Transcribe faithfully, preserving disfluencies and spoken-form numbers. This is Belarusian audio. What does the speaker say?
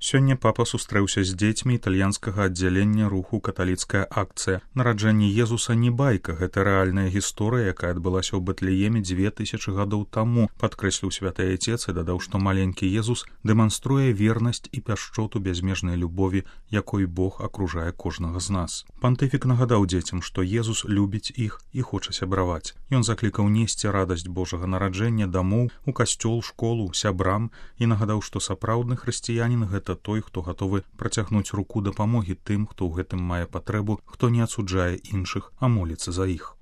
Сёння папа сустрэўся з дзецьмі італьянскага аддзялення руху каталіцкая акцыя. Нараджэнне Езуса не байка, гэта рэальная гісторыя, якая адбылася ў Бэтлееме дзве тысячы гадоў таму, падкрэсліў святы айцец і дадаў, што маленькі Езус дэманструе вернасць і пяшчоту бязмежнай любові, якой Бог акружае кожнага з нас. Пантыфік нагадаў дзецям, што Езус любіць іх і хоча сябраваць. Ён заклікаў несці радасць Божага нараджэння дамоў, у касцёл, школу, сябрам і нагадаў, што сапраўдны хрысціянін гэта гэта той, хто гатовы працягнуць руку дапамогі тым, хто ў гэтым мае патрэбу, хто не ацуджае іншых, а моліцца за іх.